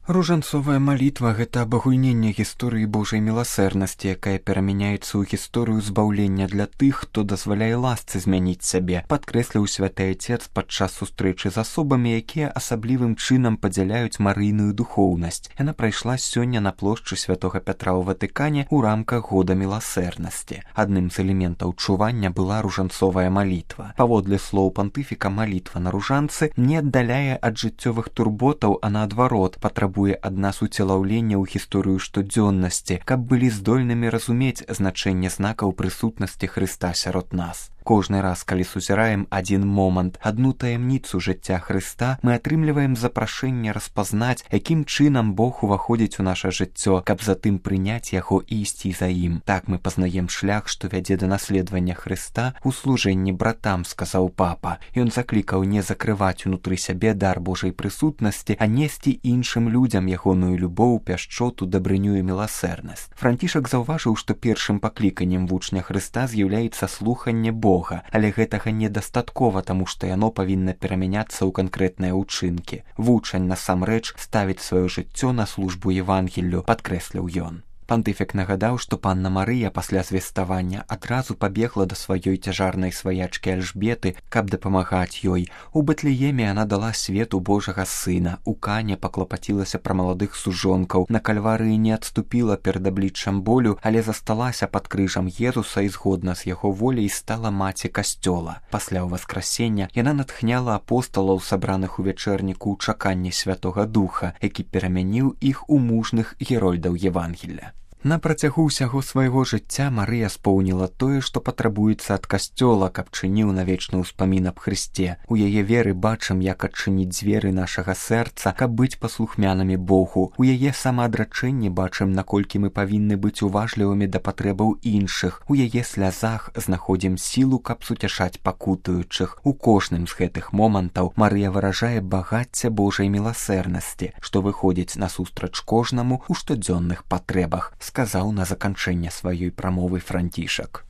Ружанцовая малітва – гэта абагульненне гісторыі Божай міласэрнасці, якая перамяняецца ў гісторыю збаўлення для тых, хто дазваляе ласцы змяніць сябе, падкрэсліў святы Айцец падчас сустрэчы з асобамі, якія асаблівым чынам падзяляюць марыйную духоўнасць. Яна прайшла сёння на плошчы святога Пятра ў Ватыкане ў рамках года міласэрнасці. Адным з элементаў чування была ружанцовая малітва. Паводле слоў пантыфіка, малітва на ружанцы не аддаляе ад жыццёвых турботаў, а наадварот, патрабуе ад нас уцелаўлення ў гісторыю штодзённасці, каб былі здольнымі разумець значэнне знакаў прысутнасці Хрыста сярод нас. Кожны раз, калі сузіраем адзін момант, адну таямніцу жыцця Хрыста, мы атрымліваем запрашэнне распазнаць, якім чынам Бог уваходзіць у наша жыццё, каб затым прыняць яго і ісці за ім. Так мы пазнаем шлях, што вядзе да наследавання Хрыста ў служэнні братам, сказаў папа. Ён заклікаў не закрываць унутры сябе дар Божай прысутнасці, а несці іншым людзям ягоную любоў, пяшчоту, дабрыню і міласэрнасць. Францішак заўважыў, што першым пакліканнем вучня Хрыста з'яўляецца слуханне Бога, але гэтага недастаткова, таму што яно павінна перамяняцца ў канкрэтныя ўчынкі. Вучань насамрэч ставіць сваё жыццё на службу Евангеллю, падкрэсліў ён. Пантыфік нагадаў, што панна Марыя пасля звеставання адразу пабегла да сваёй цяжарнай сваячкі Альжбеты, каб дапамагаць ёй. У Бэтлееме яна дала свету Божага сына, у Кане паклапацілася пра маладых сужонкаў, на Кальварыі не адступіла перад абліччам болю, але засталася пад крыжам Езуса і згодна з яго воляй стала маці касцёла. Пасля ўваскрасення яна натхняла апосталаў, сабраных у вячэрніку ў чаканні Святога Духа, які перамяніў іх у мужных герольдаў Евангелля. На працягу ўсяго свайго жыцця Марыя споўніла тое, што патрабуецца ад касцёла, каб чыніў на вечны ўспамін аб Хрысце. У яе веры бачым, як адчыніць дзверы нашага сэрца, каб быць паслухмянымі Богу. У яе самаадрачэнні бачым, наколькі мы павінны быць уважлівымі да патрэбаў іншых. У яе слязах знаходзім сілу, каб суцяшаць пакутуючых. У кожным з гэтых момантаў Марыя выражае багацце Божай міласэрнасці, што выходзіць насустрач кожнаму ў штодзённых патрэбах, сказаў на заканчэнне сваёй прамовы Францішак.